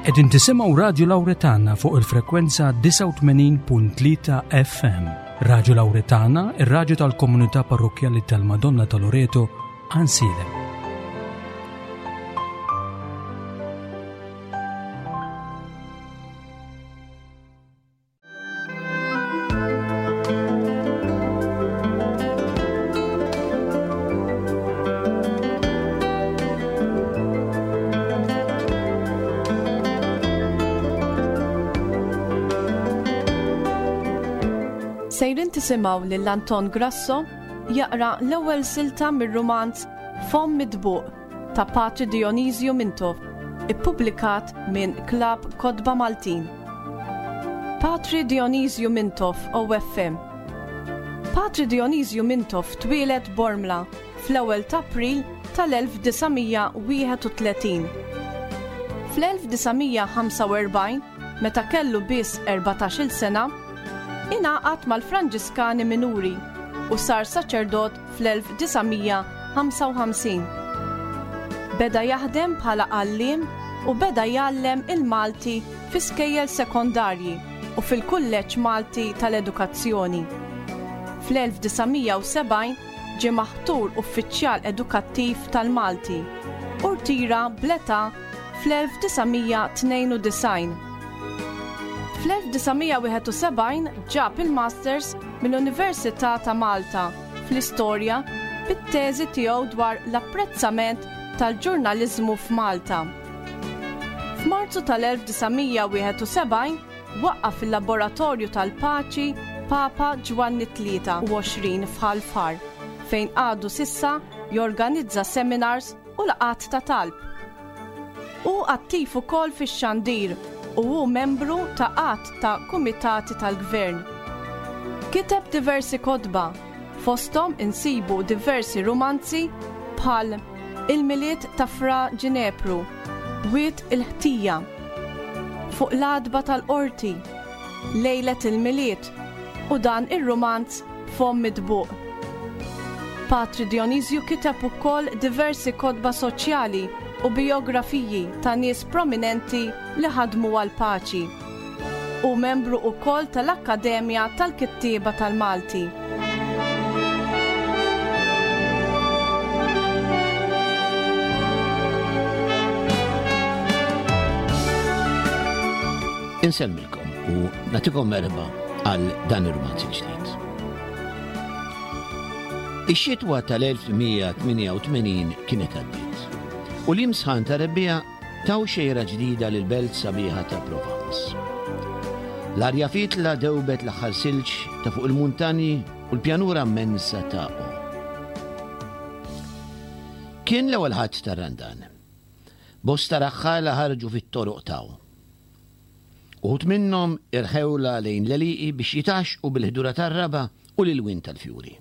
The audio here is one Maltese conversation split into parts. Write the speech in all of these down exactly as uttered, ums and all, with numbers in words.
Qegħdin tisimgħu Radju Lawretana fuq il-frekwenza disgħa u tmenin punt tlieta F M. Radju Lawretana, ir-radju tal-komunità parrokkjali tal-Madonna ta' Loreto, Għajnsielem. Sejrin tisimgħu lil Anton Grasso jaqra l-ewwel silta mir-rumanz Fomm Mitbuq ta' Patri Dionisju Mintoff, ippubblikat minn Klabb Kotba Maltin. Patri Dionisju Mintoff, O F M. Patri Dionisju Mintoff twieled Bormla fl-ewwel ta' April tal-elf disa' mija wieħed u tletin. Fl-elf disa' mija ħamsa u erbgħin, meta kellu biss erbatax-il sena, ingħaqad mal-Franġiskani Minuri u sar saċerdot fl-elf disa' mija ħamsa u ħamsin. Beda jaħdem bħala għalliem u beda jgħallem il-Malti fi skejjel sekondarji u fil-Kulleġġ Malti tal-Edukazzjoni. Fl-elf disa' mija u sebgħin ġie maħtur uffiċjal edukattiv tal-Malti u rtira bl-età fl-elf disa' mija tnejn u disgħin. Fl-elf disa' mija wieħed u sebgħin ġab il-Masters mill-Università ta' Malta fl-istorja bit-teżi tiegħu dwar l-apprezzament tal-ġurnaliżmu f'Malta. F'Marzu tal-elf disa' mija wieħed u sebgħin waqqaf il-Laboratorju tal-Paċi Papa Ġwanni tlieta u għoxrin f'Ħal Far, fejn għadu s'issa jorganizza seminars u laqgħat ta' talb. Hu attiv ukoll fix-xandir u hu membru ta' għadd ta' kumitati tal-gvern. Kiteb diversi kotba, fosthom insibu diversi rumanzi bħal Il-Milied ta' Fra Ġinepru, Wied il-Ħtija, Fuq l-Għatba tal-Qorti, Lejlet il-Milied u dan ir-rumanz Fomm Mitbuq. Patri Dionisju kiteb ukoll diversi kotba soċjali u biografiji ta' nies prominenti li ħadmu għal-paċi. U membru ukoll tal-Akkademja tal-Kittieba tal-Malti. Insellmilkom u nagħtikom merħba għal dan ir-rumanz il-ġdid. Ix-xitwa tal-elf tmien mija tmienja u tmenin kienet għaddiet u l-imsħan ta' rebbiegħa taw xejra ġdida lil belt sabiħa ta' Provence. L-arja fitla dewbet l-aħħar silġ ta' fuq il-muntanji u l-pjanura immensa ta' O. Kien l-ewwel Ħadd tar-Randan. Bosta raħħala ħarġu fit-toroq ta' O. Uħud minnhom irħewla lejn l-għelieqi biex jitgħaxxqu bil-ħdura tar-raba' u l-ilwien tal-fjuri.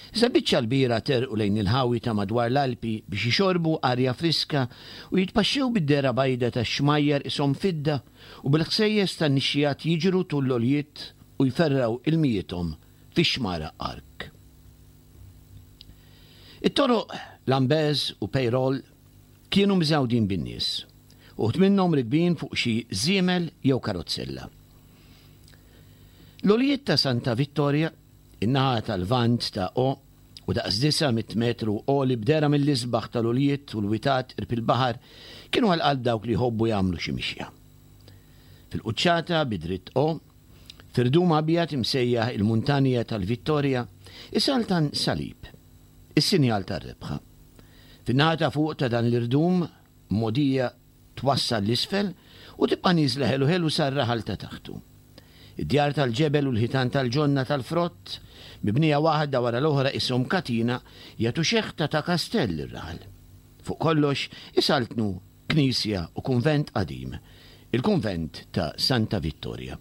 Iżda biċċa l-kbira terqu lejn il-ħawi ta' madwar l-Alpi biex jixorbu arja friska u jitpaxxew bid-dehra bajda ta' xmajjar qishom fidda u bil-ħsejjes ta' nixxijat jiġru tul l-għoljiet u jferraw ilmijiethom fix-xmara Arc. It-toroq Lambez u Peyrol kienu miżgħudin bin-nies, uħud minnhom rikbin fuq xi żiemel jew karozzella. L-għoljiet ta' Santa Vittoria, in-naħa tal-Lvant ta' O, u daqs disa' mitt metru għoli b'dehra mill-isbaħ tal-għoljiet u l-witat qrib il-baħar, kienu għal qalb dawk li jħobbu jagħmlu xi mixja. Fil-quċċata bi dritt O, f'irdum abjad imsejjaħ il-Muntanja tal-Vittoria, isaltan salib, is-sinjal tar-rebħa. Fin-naħa ta' fuq ta' dan l-irdum, mogħdija twassal l-isfel u tibqa' nieżla ħelu ħelu sar-raħal ta' taħtu. Id-djar tal-ġebel u l-ħitan tal-ġonna tal-frott, mibnija waħda wara l-oħra qishom katina, jagħtu xeħta ta' kastell ir-raħal. Fuq kollox isaltnu knisja u kunvent qadim, il-kunvent ta' Santa Vittoria.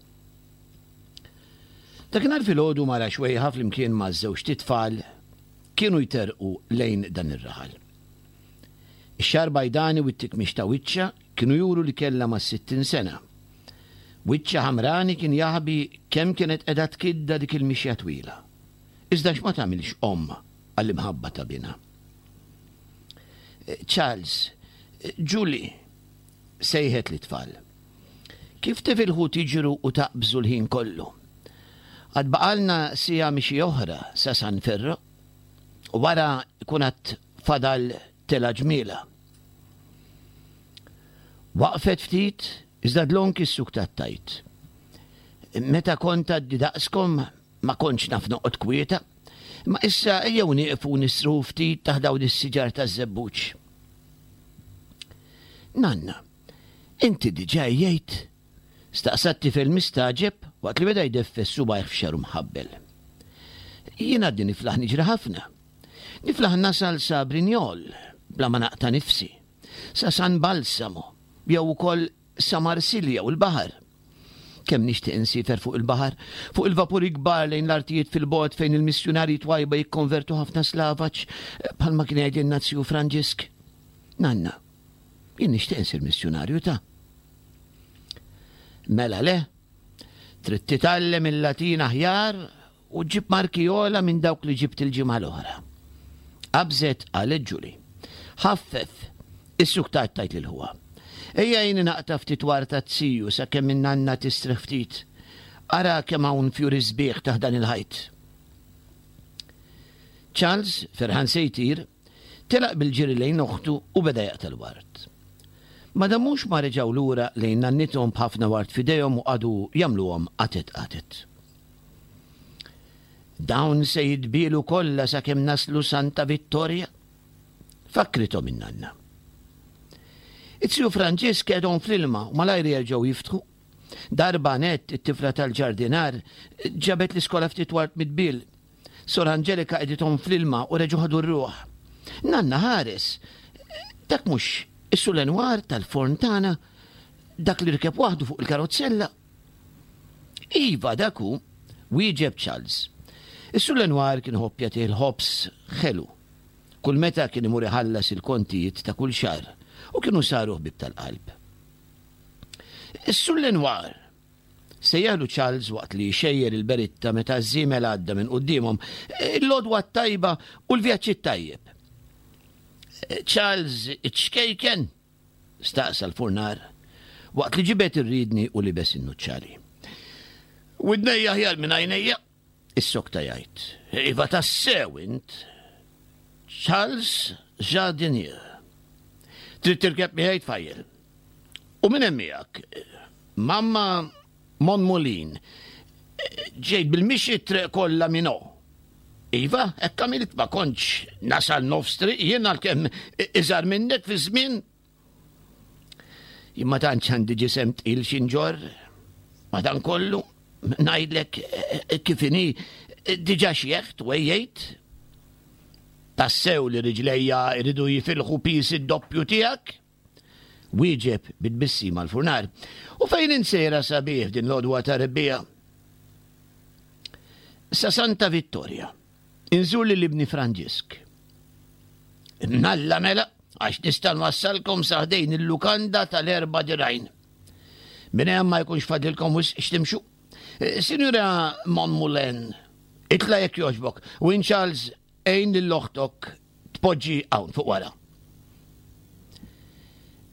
Dakinhar filgħodu mara xwejħa flimkien ma' żewġt itfal kienu jterqu lejn dan ir-raħal. Ix-xagħar bajdani u t-tikmix ta' wiċċha kienu juru li kellha ma' sittin sena. Wiċċha ħamrani kien jaħbi kemm kienet qiegħda tkidda dik il-mixja twila. Iżda x'ma tagħmilx omm għall-imħabba ta' binha. Charles, Julie, Sejħet lit-tfal. Kif tifilħu tiġru u taqbżu l-ħin kollu? Għad baqalna siegħa mixi oħra sa San Ferro u wara jkun għad fadal telgħa ġmielha. Waqfet ftit iżda dlonk issuktat tgħid. Meta kont għadni daqskom ma kontx naf noqgħod kwieta, imma issa ejjew nieqfu nistrieħu ftit taħt dawn is-siġar taż-żebbuġ. Nanna, inti diġà għejjejt? Staqsa t-tifel mistagħġeb waqt li beda jdeffes subgħajh f'xagħru mħabbel. Jien għadni niflaħ niġri ħafna. Niflaħ nasal sa Brignol bla ma naqta' nifsi, sa San Balsamo, jew ukoll sa Marsilja u l-baħar. Kemm nixtieq insiefer fuq il-baħar, fuq il-vapuri kbar lejn l-artijiet fil-bogħod fejn il-missjunarji twajba jikkonvertu ħafna slavaġ bħalma kien jgħidilna ziju Franġisk. Nanna, jien nixtieq insir missjunarju ta'. Mela le, trid titgħallem il-Latin aħjar u ġib marki ogħla minn dawk li ġibt il-ġimgħa l-oħra. Qabżet qalet Ġuli. Ħaffef, issuktat tgħid lil ħuha. Ejja għinni naqta' ftit ward taz-ziju sakemm in-nanna tistrieħ ftit. Ara kemm hawn fjuri sbieħ taħt dan il-ħajt. Charles, ferħan se jtir, telaq bil-ġiri lejn oħtu u beda jaqta' l-ward. Ma damux ma reġgħu lura lejn nannithom b'ħafna ward f'idejhom u qagħdu jagħmluhom qatet qatet. Dawn se jitbielu kollha sakemm naslu Santa Vittoria, fakkrithom in-nanna. It-ziju Franġisk qegħedhom fl-ilma u malajr jerġgħu jiftħu. Darba net it-tifla tal-ġardinar ġabet l-iskola ftit ward mitbil. Sor Angelika qegħdithom fl-ilma u reġgħu ħadu r-ruħ. Nanna ħares, dak mhux is-Sur Lenoir tal-forn tagħna, dak li rkeb waħdu fuq il-karozzella. Iva, dak hu, wieġeb Charles. Is-Sur Lenoir kien iħobb jagħtih il-ħobż ħelu kull meta kien imur iħallas il-kontijiet ta' kull xahar u kienu saru ħbieb tal-qalb. Is-Sur Lenoir! Sejjaħlu Charles waqt li xejjer il-beritta meta ż-żiemel għadda minn quddiemhom, il-għodwa t-tajba u l-vjaġġ it-tajjeb. Charles iċ-ċkejken? Staqsa l-furnar waqt li ġibed ir-riedni u libes in-nuċċali. Widnejja aħjar minn għajnejja, issokta jgħid. Iva tassew int. Charles Jardinier. Trid tirkeb miegħi tfajjel. U minn hemm miegħek? Mamma Monmolin. Ġejt bil-mixi t-triq kollha minn O. Iva, hekk għamilt ma kontx nasal nofs triq jien għalkemm iżgħar minnek fi żmien. Jien ma tantx għandi ġisem tqil xi nġorr. Madankollu, ngħidlek kif inhi diġà xjeħt u għejjejt. Tassew li riġlejja jridu jifilħu piż id-doppju tiegħek? Wieġeb bi tbissima l-furnar. U fejn int sejra sabiħ din l-għodwa ta' rebbiegħa? Sa Santa Vittoria. Inżur lil ibni Franġisk. Mnalla mela, għax nista' nwassalkom sa ħdejn il-lukanda tal-Erba' Dirgħajn. Minn hemm ma jkunx fadlilkom wisq x'timxu. Eh, Sinjura Monmoulin, itla' jekk jogħġbok, u int Charles għin lil oħtok tpoġġi hawn fuq wara.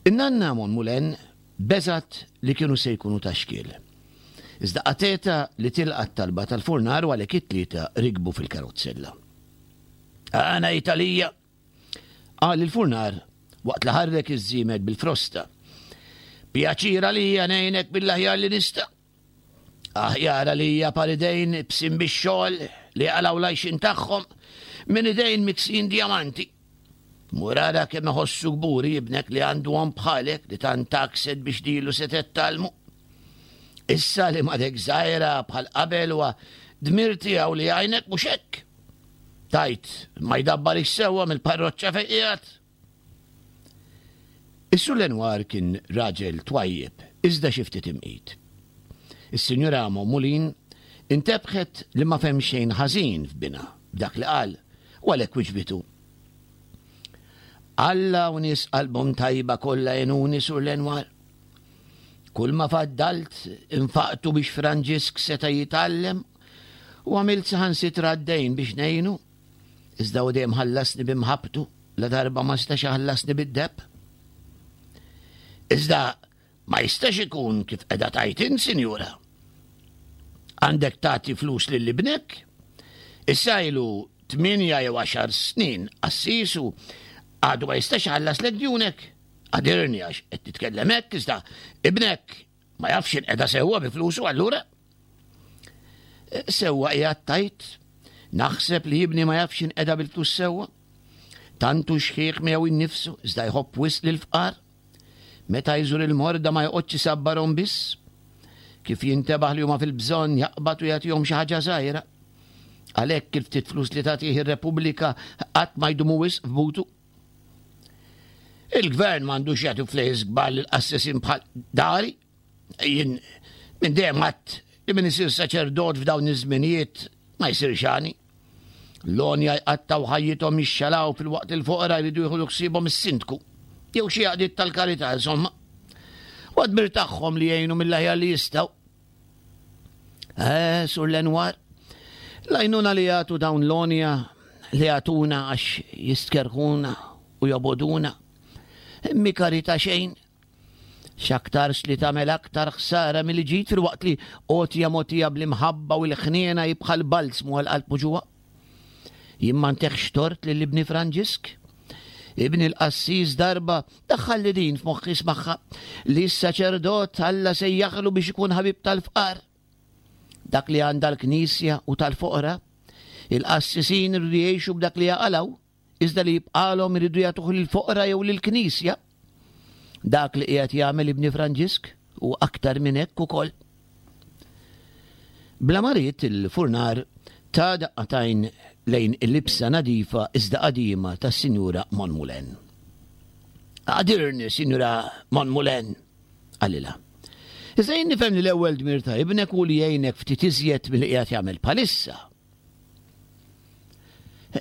In-nanna Monmoulin beżgħet li kienu se jkunu ta' xkiel. Iżda qatgħetha li tilqa' t-talba tal-furnar u għalhekk it-tlieta rikbu fil-karozzella. Għana Italija, qal il-furnar waqt li ħarrek iż-żiemel bil-frosta. Pjaċir għalija ngħinek mill-aħjar li nista'. Aħjar għalija par idejn ibsin bix-xogħol li jaqalgħu l-għajxien tagħhom minn idejn miksijin djamanti. Mur ara kemm iħossu kburi ibnek li għandu omm bħalek li tant għakset biex lilu setgħet tgħallmu. Issa li m'għadek żgħira bħal qabel huwa dmir tiegħu li jgħinek mhux hekk? Tgħid ma jdabbarix sewwa mill-parroċċa fejn qiegħed? Is-Sur Lenoir kien raġel twajjeb iżda xi ftit imqit. Is-Sinjura Mommulin intebħet li ma fehem xejn ħażin f'binha b'dak li qal u għalhekk wiġbitu. Alla u nies qalbhom tajba kollha għenuni, Sur Lenoir. Kull ma faddalt infaqtu biex Franġisk seta' jitgħallem u għamilt saħansitra d-dejn biex ngħinu. Iżda hu dejjem ħallasni bi mħabbtu ladarba ma setax iħallasni bid-deheb. Iżda ma jistax ikun kif qiegħda tgħid int, sinjura. Għandek tagħti flus lil ibnek? Issa ilu tmienja jew għaxar snin qassis u għadu ma jistax iħallaslek djunek. Għadirni għax qed titkellem hekk, iżda ibnek ma jafx inqeda sewwa bi flusu allura. Sewwa qiegħed tgħid, naħseb li ibni ma jafx inqeda bil-flus sewwa. Tant hu xħiħ miegħu innifsu, iżda jħobb wisq lill-fqar. Meta jżur il-morda ma joqgħodx isabbarhom biss. Kif jintebaħ li huma fil-bżonn jaqbad u jagħtihom xi ħaġa żgħira. Għalhekk il-ftit flus li tagħtih ir-Repubblika qatt ma jdumu wisq f'butu. Il-gvern m'għandux jagħti flejjes kbar lil qassisin bħal dari. Jien minn dejjem għedt li min isir saċerdot f'dawn iż-żminijiet ma jsirx għani. L-għonja jqattgħu ħajjithom jixxalaw filwaqt li l-foqra jridu jieħdu ħsiebhom is-sindku jew xi għaqdiet tal-karità insomma. U dmir tagħhom li jgħinu mill-aħjar li jistgħu. Eh, Sur Lenoir, l-għajnuna li jagħtu dawn l-għonja li jagħtuna għax jistkerrhuna u jobogħduna. Mhi karità xejn. X'aktarx li tagħmel aktar ħsara milli ġid filwaqt li għotja mogħtija bl-imħabba u l-ħniena hi bħal balzmu għal qalb muġugħa. Jien ma ntihx tort lil ibni Franġisk. Ibni l-qassis darba daħħalli din f'moħħi smaħħa li s-saċerdot Alla sejjaħlu biex ikun ħabib tal-fqar. Dak li għandha l-knisja u tal-foqra, il-qassisin iridu jgħixu b'dak li jaqalgħu, iżda li jibqalhom iridu jagħtuh lill-foqra jew lill-knisja. Dak li qiegħed jagħmel ibni Franġisk u aktar minn hekk ukoll. Bla ma ried il-furnar ta daqqa t'għajn lejn il-libsa nadifa iżda qadima tas-Sinjura Monmulen. Għadirni, Sinjura Monmulen, qalilha. Iżda jien nifhem li l-ewwel dmir ta' ibnek hu li jgħinek ftit iżjed milli qiegħed jagħmel bħalissa.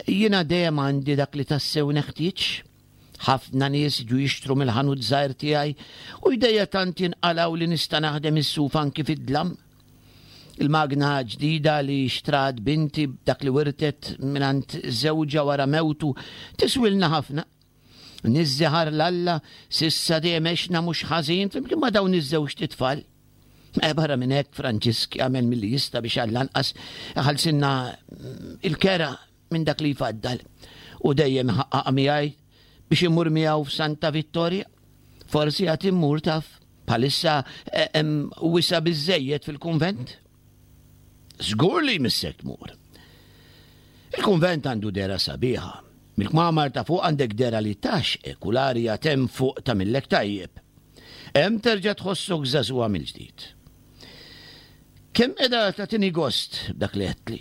Jiena dejjem għandi dak li tassew neħtieġ. Ħafna nies jiġu jixtru mill-ħanut żgħir tiegħi u jdejja tant jinqalgħu li nista' naħdem is-suf anki fid-dlam. Il-magna ġdida li xtrat binti b'dak li wirtet mingħand żewġha wara mewtu tiswilna ħafna. Niżżiħar 'l Alla s'issa dejjem għexna mhux ħażin flimkien ma' dawn iż-żewġt itfal. E barra minn hekk Franġisk jagħmel milli jista' biex għall-anqas iħallsilna il-kera minn dak li jfaddal. U dejjem iħaqqaq miegħi biex immur miegħu f'Santa Vittoria. Forsi għad immur taf, bħalissa hemm wisa' biżżejjed fil-kunvent. Żgur li jmissek tmur. Il-kunvent għandu dehra sabiħa. Mill-kmamar ta' fuq għandek dehra li tgħaxxqek u l-arja t'hemm fuq tagħmillek tajjeb. Hemm terġa' tħossok żagħżugħa mill-ġdid. Kemm qiegħda tagħtini gost b'dak li għedtli.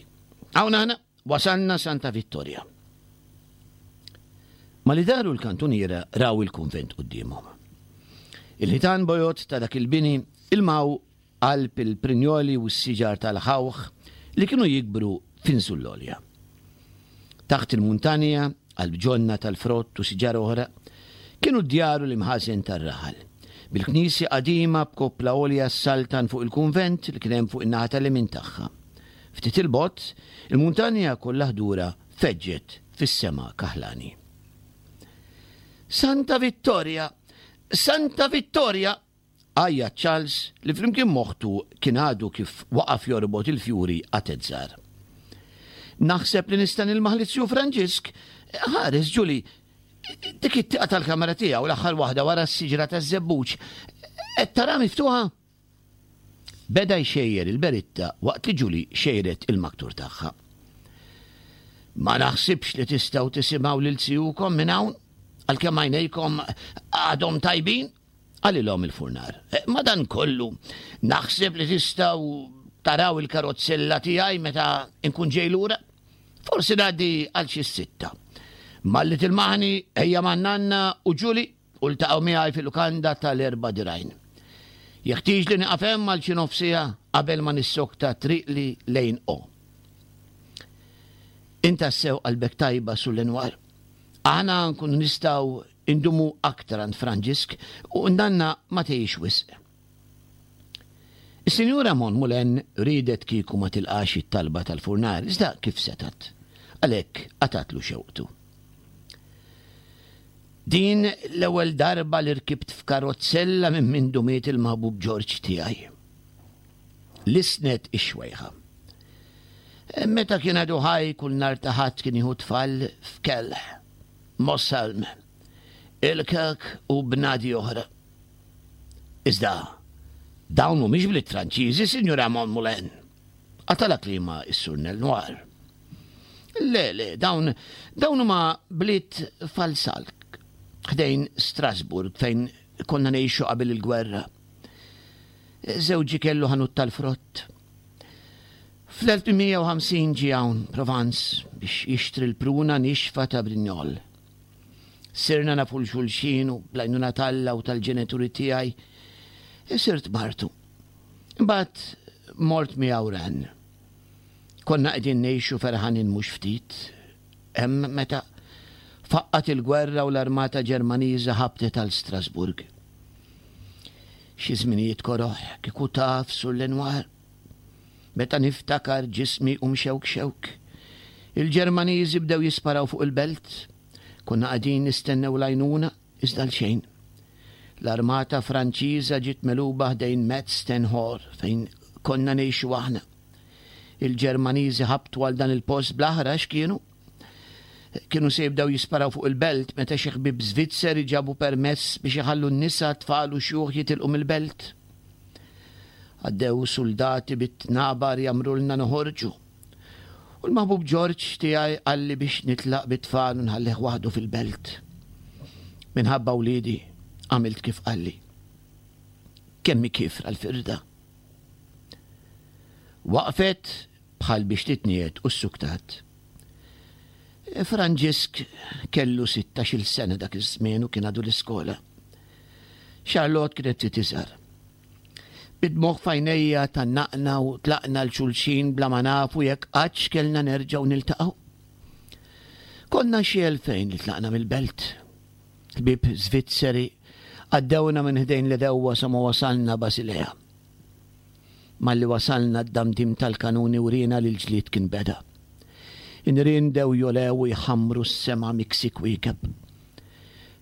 Hawn aħna wasalna Santa Vittoria. Malli daru l-kantuniera raw il-kunvent quddiemhom. Il-ħitan bojod ta' dak il-bini ilmaw qalb il-prinjoli u s-siġar tal-ħawħ li kienu jikbru f'insullolja. Taħt il-muntanja, qalb ġonna tal-frott u siġar oħra, kienu d-djar u l-imħażen tar-raħal, bil-knisja qadima b'koppla għolja ssaltan fuq il-kunvent li kien hemm fuq in-naħa tal-lemin tagħha. Ftit 'il bogħod, il-muntanja kollha ħdura feġġet fis-sema kaħlani. Santa Vittoria! Santa Vittoria! Għajjat Charles li flimkien m'oħtu kien għadu kif waqaf jorbot il-fjuri qatet żgħar. Naħseb li nista' nilmaħ lit-Tiju Franġisk. Ħares, Julie, dik it-tieqa tal-kamra tiegħu l-aħħar waħda wara s-siġra taż-żebbuġ. Qed tara miftuħa? Beda jxejjer il-beritta waqt li Julie xejret il-maktur tagħha. Ma naħsibx li tistgħu tisimgħu lil zijukom minn hawn, għalkemm għajnejkom għadhom tajbin, qalilhom il-furnar. Madankollu, naħseb li tistgħu taraw il-karozzella tiegħi meta nkun ġej lura. Forsi ngħaddi għal xi sitta. Malli tilmaħni ejja man-nanna u Ġuli u ltaqgħu miegħi fil-lukanda tal-Erba' Dirgħajn. Jeħtieġ li nieqaf hemm għal xi nofs siegħa qabel ma nissokta triqli lejn O. Int tassew qalbek tajba Sur Lenoir. Aħna nkunu nistgħu indumu aktar għand Franġisk u nanna ma tgħix wisq. Is-Sinjura Monmulen riedet kieku ma tilqax it-talba tal-furnar, iżda kif setgħet? Għalhekk qatgħatlu xewqtu. Din l-ewwel darba li rkibt f'karozzella minn mindu miet il-maħbub Ġorġ tiegħi. Lissnet ix-xwejħa. Meta kien għadu ħaj kull nhar ta' Ħadd kien jieħu tfal f'Kehl, Mosselm, Ilkirk u bnadi oħra. Iżda, dawn mhumiex bliet Franċiżi, Sinjura Monmoulin. Qatagħlha kliemha s-Sur Lenoir. Le, le, dawn, dawn huma bliet f'Alsace, ħdejn Strasburg fejn konna ngħixu qabel il-gwerra. Żewġi kellu ħanut tal-frott. fl-elf tmien mija u ħamsin ġie hawn Provence biex jixtri l-pruna nixfa ta' Brignol. Sirna nafu l-xulxin u bl-għajnuna t'Alla u tal-ġenituri tiegħi sirt martu. Imbagħad mort miegħu Rennes. Konna qegħdin ngħixu ferħanin mhux ftit. Hemm meta faqqat il-gwerra u l-armata Ġermaniża ħabtet għal Strasburg. Xi żminijiet koroh kieku taf Sur Lenoir. Meta niftakar ġismi u mxewk xewk. Il-Ġermaniżi bdew jisparaw fuq il-belt. Konna qegħdin nistennew l-għajnuna, iżda l-xejn. L-armata Franċiża ġiet megħluba ħdejn Metz Stenhor fejn konna ngħixu aħna. Il-Ġermaniżi ħabtu għal dan il-post bl-aħrax kienu. Kienu se jibdew jisparaw fuq il-belt meta xi ħbieb Svizzeri ġabu permess biex iħallu n-nisa, tfal u xjuħ jitilqu mill-belt. Għaddew soldati bit-tnabar jamrulna noħorġu. U l-maħbub Ġorġ tiegħi qalli biex nitlaq bit-tfal u nħallih waħdu fil-belt. Minħabba wliedi għamilt kif qalli. Kemm hi kiefra l-firda. Waqfet bħal biex titniet u s-suktat. Franġisk kellu sittax-il sena dak iż-żmien u kien għadu l-iskola. Charlotte kienet ftit iżgħar. Bid-dmugħ f'għajnejja tgħannaqna u tlaqna l-xulxin bla ma nafu jekk qattx kellna nerġgħu niltaqgħu. Konna xi elfejn li tlaqna mill-belt. Ħbieb Svizzeri għaddewna minn ħdejn l-edewwa sa ma wasalna Basilea. Malli wasalna d-damdim tal-kanuni wriena li l-ġlied kien beda. In-nirien dew jolew u jħammru s-sema miksi kwiekeb.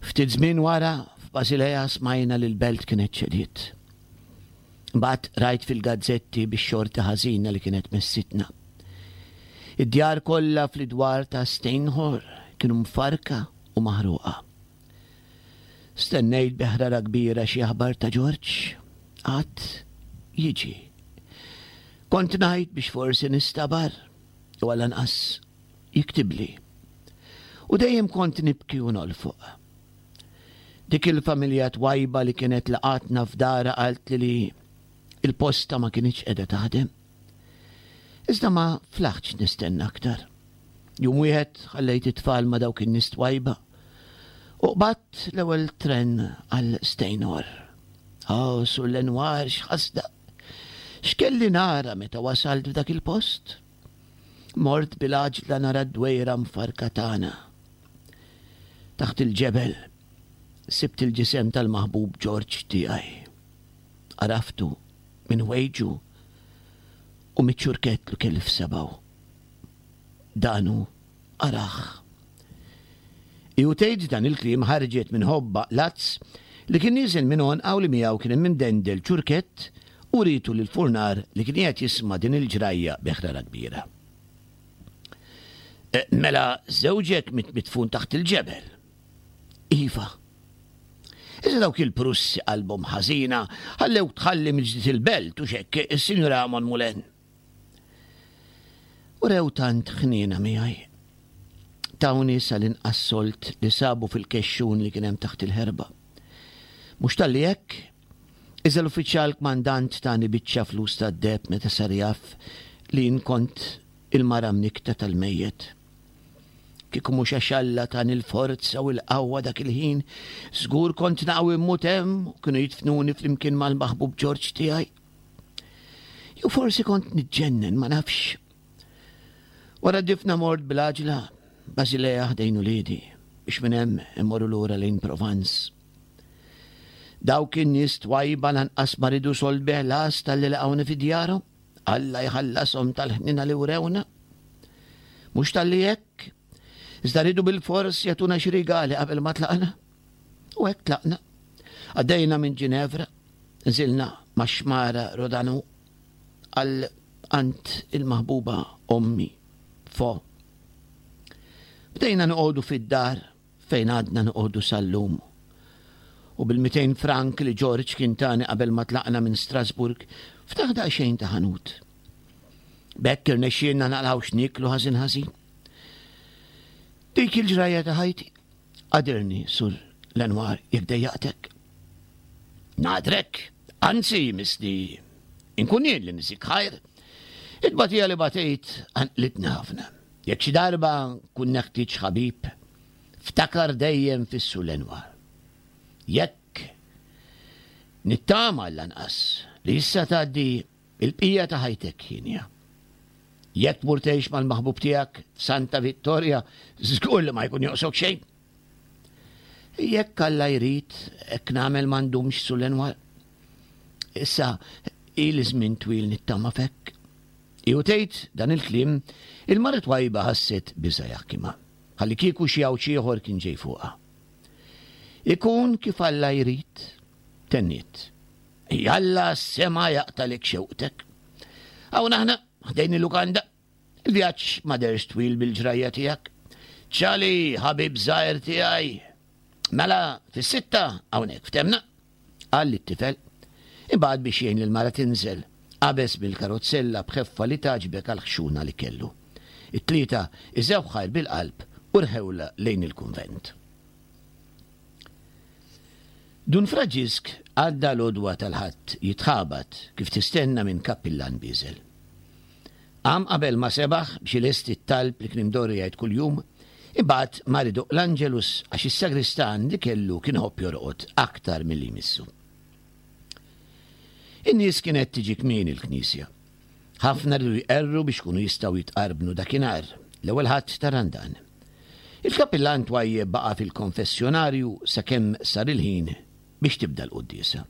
Ftit żmien wara f'Basilea smajna li l-belt kienet ċediet. Mbagħad rajt fil-gazzetti bix-xorti ħażina li kienet messitna. Id-djar kollha fl-idwar ta' Steinhor kienu mfarka u maħruqa. Stennejt bi ħrara kbira xi aħbar ta' Ġorġ. Qatt jiġi. Kont ngħid biex forsi nistabar u għall-anqas jiktibli. U dejjem kont nibki u nolfoq. Dik il-familja twajba li kienet laqatna f'dara qaltli li il-posta ma kienx qiegħda taħdem. Iżda ma flaħtx nistenna aktar. Jum wieħed ħallejt it-tfal ma' dawk in-nies twajba u qbadt l-ewwel tren għal Steinor. Oh, Sur Lenoir, x'ħasda. X'kelli nara meta wasalt f'dak il-post? Mort bil-għaġla nara d-dwejra mfarka tagħna. Taħt il-ġebel sibt il-ġisem tal-maħbub Ġorġ tiegħi. Għaraftu minn ħwejġu u miċ-ċurkett li kelli f'sebgħu. Danu araħ. Iu tgħid dan il-kliem ħarġet minn ħobba lazz li kien nieżel minn għonqha u li miegħu kien hemm imdendel ċurkett u rietu lill-furnar li kien qiegħed jisma' din il-ġrajja bi ħrara kbira. Mela żewġek miet midfun taħt il-ġebel. Iva. Iżda dawk il-Prussi qalbhom ħażina ħallewk tħalli mill-ġdid il-belt u x'hekk, is-Sinjura Monmoulin. U rew tant ħniena miegħi. Tawni sal-inqas solt li sabu fil-kexxun li kien hemm taħt il-ħerba. Mhux talli hekk, iżda l-uffiċjal kmandant tani biċċa flus tad-deheb meta sar jaf li jien kont il-mara mnikta tal-mejjet. Kieku mhux għax Alla tani l-forza u l-qawwa dak il-ħin, żgur kont naqgħu immut hemm u kienu jidfnuni flimkien mal-maħbub Ġorġ tiegħi. Jew forsi kont niġġennen, ma nafx. Wara d-difna mort bil-għaġla Basilea ħdejn uliedi biex minn hemm immorru lura lejn Provence. Dawk in-nies twajba lanqas ma ridu sold bi ħlas talli laqgħuni fi djarhom. Alla jħallashom tal-ħnina li wrewna. Mhux talli hekk, iżda ridu bil-fors jagħtuna xi rigali qabel ma tlaqna. U hekk tlaqna. Għaddejna minn Ġinevra, nżilna max-xmara Rodanu għal għand il-maħbuba ommi Fo. Bdejna noqogħdu fid-dar fejn għadna noqogħdu sal-lum. U bil-mitejn frank li George kien tani qabel ma tlaqna minn Strasburg, ftaħ daqsxejn ta' ħanut. B'hekk irnexxielna naqilgħu x'nieklu ħażin ħażin. Dik il-ġrajja ta' ħajti. Agħdirni, Sur Lenoir, jekk dejjaqtek. Nagħdrek, anzi, misli, inkun jien li niżik ħajr. It-tbatija li batejt qanqlitni ħafna. Jekk xi darba nkun neħtieġ ħabib, ftakar dejjem fis-Sur Lenoir. Jekk nittama l-anqas li issa tgħaddi il-bqija ta' ħajtek hienja. Jekk tmur tgħix mal-maħbub tiegħek f'Santa Vittoria, żgur li ma jkun joqsok xejn. Jekk Alla jrid, hekk nagħmel ma ndumx, Sur Lenoir. Issa ili żmien twil nittama f'hekk. Iu tgħid dan il-kliem, il-mara twajba ħasset biża' jaħkimha, ħalli kieku xi għawġ ieħor kien ġej fuqha. Ikun kif Alla jrid, tenniet. Jalla s-sema jaqtalek xewqtek. Hawn aħna, ħdejn il-lukanda. Il-vjaġġ ma derx twil bil-ġrajja tiegħek. Ċali, ħabib żgħir tiegħi. Mela, fis-sitta hawnhekk ftemna, qal lit-tifel. Imbagħad biex jgħin lill-mara tinżel, qabeż mill-karozzella b'ħeffa li tgħaġbek għall-ħxuna li kellu. It-tlieta iżew ħajr bil-qalb u rħewla lejn il-kunvent. Dun Franġisk għadda l-għodwa tal-Ħadd jitħabat kif tistenna minn kappillan bieżel. Qam qabel ma sebaħ biex ilesti t-talb li kien imdorri jgħid kuljum, imbagħad mar idoqq l-Angelus għax is-sagristan li kellu kien iħobb jorqod aktar milli jmissu. In-nies kienet tiġi kmieni l-knisja. Ħafna riedu jqerru biex kunu jistgħu jitqarbnu dakinhar, l-ewwel Ħadd ta' Randan. Il-kappillan twajjeb baqa' fil-konfessjonarju sakemm sar il-ħin biex tibda l-quddiesa.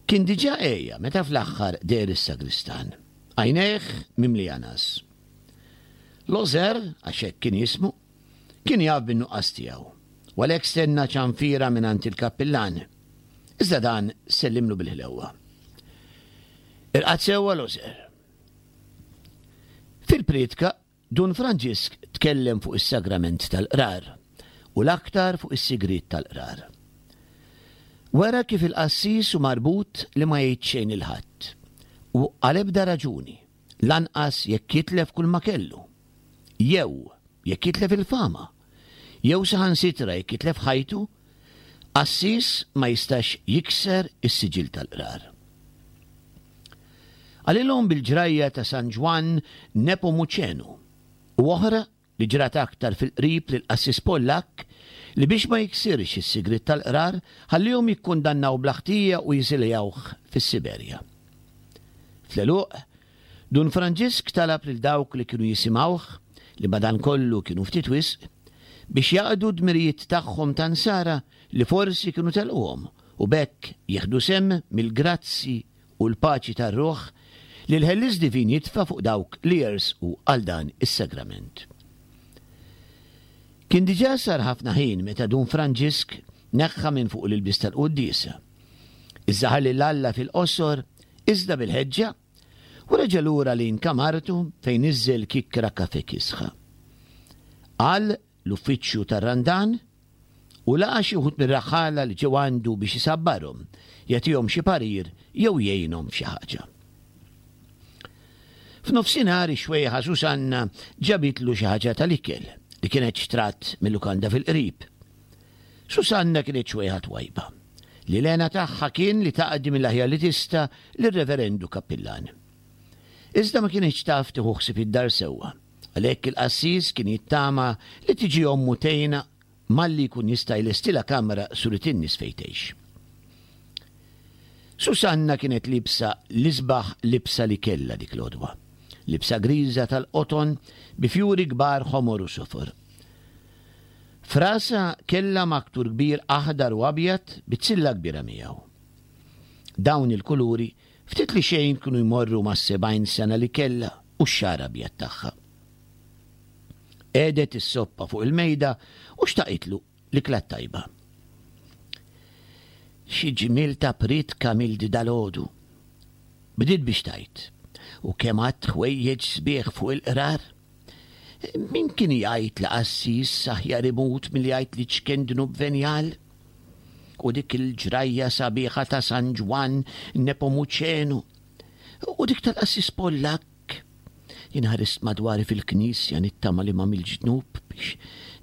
Kien diġà għeja meta fl-aħħar deher is-sagristan, għajnejh mimlija ngħas. Lozer, għax hekk kien jismu, kien jaf bin-nuqqas tiegħu, u għalhekk stenna ċanfira mingħand il-kappillan. Iżda dan sellimlu bil-ħlewwa. Irqad sewwa Lozer. Fil-prietka, Dun Franġisk tkellem fuq is-sagrament tal-qrar u l-aktar fuq is-sigriet tal-qrar. Wera kif il-qassis hu marbut li ma jgħid xejn lil ħadd u għal ebda raġuni, lanqas jekk jitlef kull ma kellu, jew jekk jitlef il-fama, jew saħansitra jekk jitlef ħajtu, qassis ma jistax jikser is-siġill tal-qrar. Qalilhom bil-ġrajja ta' San Ġwann Nepomuċenu u oħra li ġrat aktar fil-qrib lil qassis Pollakk li biex ma jiksirx is-sigriet tal-qrar ħallihom jikkundannaw bla ħtija u jiżiljawh fis-Siberja. Fl-għeluq, Dun Franġisk talab lil dawk li kienu jisimgħuh, li madankollu kienu ftit wisq, biex jaqdu d-dmirijiet tagħhom ta' nsara li forsi kienu telquhom u b'hekk jieħdu sehem mill-grazzi u l-paċi tar-ruħ li l-Ħellies Divin jitfa' fuq dawk li jersqu għal dan is-sagrament. Kien diġà sar ħafna ħin meta Dun Franġisk neħħa minn fuq l-ilbies tal-quddiesa. Iżda ħalli 'l Alla fil-qosor, iżda bil-ħeġġa, u reġa' lura lejn kamartu fejn niżżel kikkra kafe kisħa. Qal l-uffiċċju tar-Randan u laqa' xi wħud mir-raħħala li ġew għandu biex isabbarhom, jagħtihom xi parir jew jgħinhom f'xi ħaġa. F'nofsinhar ix-xwejħa Susanna ġabitlu xi ħaġa tal-ikel li kienet xtrat mil-lukanda fil-qrib. Susanna kienet xwejħa twajba, li l-hena tagħha kien li taqdi mill-aħjar li tista' lir-reverendu kappillan. Iżda ma kienx taf tieħu ħsieb id-dar sewwa, għalhekk il-qassis kien jittama li tiġi ommu tgħinha malli jkun jista' jlestilha kamra surit in-nies fejn tgħix. Susanna kienet libsa l-isbaħ libsa li kellha dik l-għodwa. Libsa griża tal-qoton bi fjuri kbar ħomor u sofor. Frasa kellha maktur kbir aħdar u abjad bi tsilla kbira miegħu. Dawn il-kuluri ftit li xejn kienu jmorru mas-sebgħin sena li kellha u x-xagħar abjad tagħha. Qegħdet is-soppa fuq il-mejda u xtaqitlu l-ikla tajba. Xi ġmiel ta' priedka mildi dalgħodu. Bdiet biex tgħid, u kemm għadd ħwejjeġ sbieħ fuq il-qrar. Min kien jgħid li qassis aħjar imut milli jgħid li ċken dnub venjal? U dik il-ġrajja sabiħa ta' San Ġwann Nepomuċenu. U dik tal-qassis Pollakk. Jien ħarist madwari fil-knisja nittama li m'għamiltx dnub biex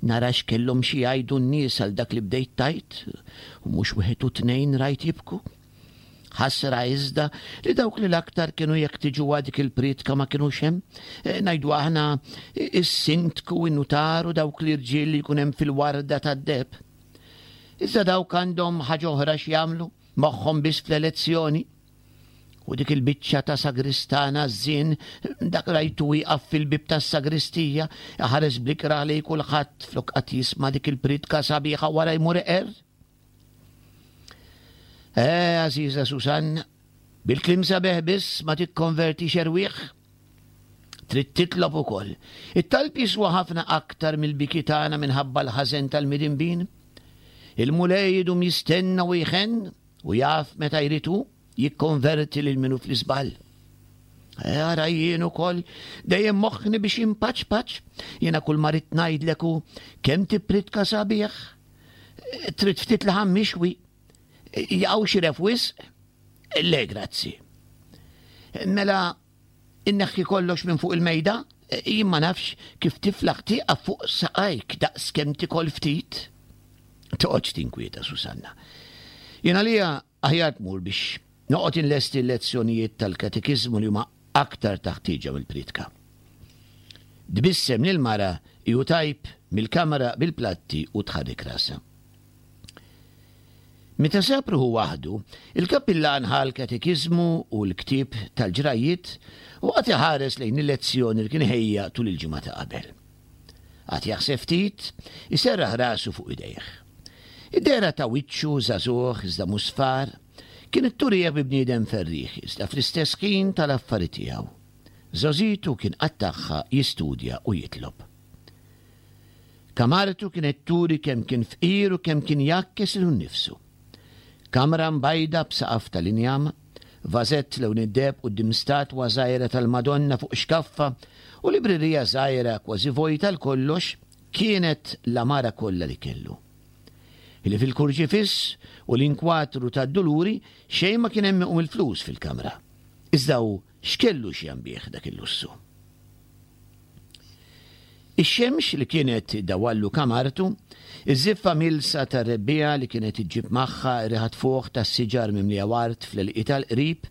nara x'kellhom xi jgħidu n-nies għal dak li bdejt tgħid, u mhux wieħed u tnejn rajt jibku. Ħasra iżda li dawk li l-aktar kienu jeħtiġuha dik il-priedka ma kinux hemm. E, ngħidu aħna is-sindku, in-nutar u dawk l-irġiel li jkun hemm fil-warda tad-deheb. Iżda dawk għandhom ħaġa oħra x'jagħmlu, moħħhom biss fl-elezzjoni. U dik il-biċċa ta' sagristana żien, dak rajtu wieqaf fil-bib tas-sagristija, ħares bl-ikrah lejn kulħadd flok qatt jisma' dik il-priedka sabiħa wara jmur iqerr. Eh, għażiża Susanna, bil-kliem sabiħ biss ma tikkonvertix erwieħ. Trid titlob ukoll. It-talb jiswa ħafna aktar mill-biki tagħna minħabba l-ħażen tal-midinbin. Il-Mulej idum jistenna u jħenn u jaf meta jrid hu jikkonverti lil minu fl-iżball. Ara jien ukoll dejjem moħħni biex impaċ paċ, jiena kull ma rrid ngħidlek hu kemm tippritka sabiħ. Trid ftit laħam mixwi. Jaqgħu xi ref wisq? Le, grazzi. Mela inneħħi kollox minn fuq il-mejda, jien ma nafx kif tiflaħ tieqaf fuq saqajk daqs kemm tikol ftit. Toqgħodx tinkwieta, Susanna. Jien għalija aħjar tmur biex noqgħod inlesti l-lezzjonijiet tal-katekiżmu li huma aktar taħtieġa mill-priedka. Tbissem lil mara ju tajb mill-kamra bil-platti u tħarrik rasha. Meta sab ruħu waħdu, il-kappillan ħa l-katekiżmu u l-ktieb tal-ġrajiet u qagħad iħares lejn il-lezzjoni li kien ħejja tul il-ġimgħa ta' qabel. Qagħad jaħseb ftit, iserraħ rasu fuq idejh. Id-dehra ta' wiċċu żagħżugħ iżda musfar kienet turih bi bniedem ferrieħ iżda fl-istess ħin tal-affari tiegħu. Żgħożitu kien qattagħha jistudja u jitlob. Kamartu kienet turi kemm kien fqir u kemm kien jgħakkes lilu nnifsu. Kamra mbajda b'saqaf tal-injam, vażett lewn id-deheb quddiem statwa żgħira tal-Madonna fuq xkaffa u librerija żgħira kważi vojta l kollox kienet l-amara kollha li kellu. Li fil-kurċifiss u l-inkwatru tad-duluri xejn ma kien hemm iqum il-flus fil-kamra. Iżda hu x'kellu x'jambih dak il-lussu. Ix-xemx li kienet dawallu kamartu, iż-żiffa milsa tar-rebbiegħa li kienet iġġib magħha riħa tfuħ tas-siġar mimlija ward fl-għelieqi tal-qrib,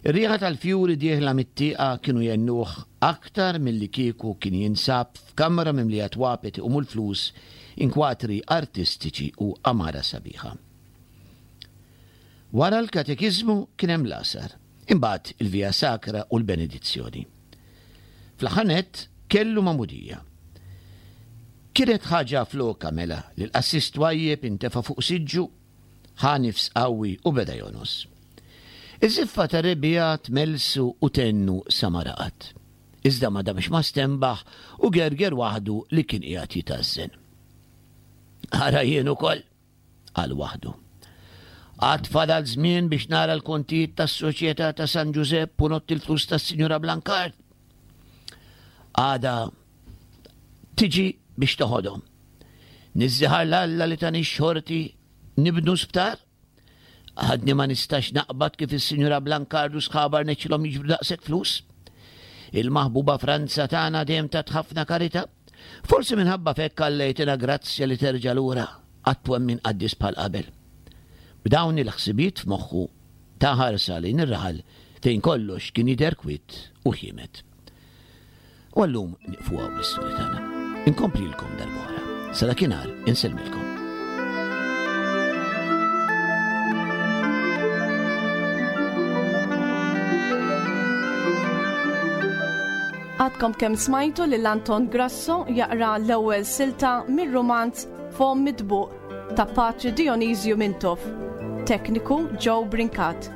ir-riħa tal-fjuri dieħla mit-tieqa kienu jennuh aktar milli kieku kien jinsab f'kamra mimlija twapet iqumu l-flus, inkwatri artistiċi u amara sabiħa. Wara l-katekiżmu kien hemm l-għasar, imbagħad il-Via Sacra u l-benedizzjoni. Fl-aħħar nett kellu magħmudija. Kienet ħaġa floka mela li l-qassis twajjeb intefa' fuq siġġu, ħa nifs qawwi u beda jonos. Iż-żiffa ta' rebbiegħa tmelsu u tennu sa ma raqad. Iżda ma damx ma stenbaħ u gerger waħdu li kien qiegħed jitażżen. Ara jien ukoll, qal waħdu. Għad fadal żmien biex nara l-kontijiet tas-Soċjetà ta' San Ġużepp u nott il-flus tas-Sinjura Blancard. Għada tiġi biex toħodhom. Niżżiħar l-Alla li tani xorti nibnu sptar. Għadni ma nistax naqbad kif is-Sinjura Blancard u sħaba rnexxilhom jiġbru daqshekk flus. Il-maħbuba Franza tagħna dejjem tat ħafna karità. Forsi minħabba f'hekk Alla jtina grazzja li terġa' lura għat-twemmin qaddis bħal qabel. B'dawn il-ħsibiet f'moħħu ta' ħarsa lejn ir-raħal fejn kollox kien jidher kwiet u ħiemed. U għallum nieqfu hawn bl-istorja tagħna. Inkomplilkom darb'oħra. Sa dakinhar insellmilkom. Għadkom kemm smajtu lil Anton Grasso jaqra l-ewwel silta mir-rumanz Fomm Mitbuq ta' Patri Dionisju Mintoff. Tekniku Joe Brincat.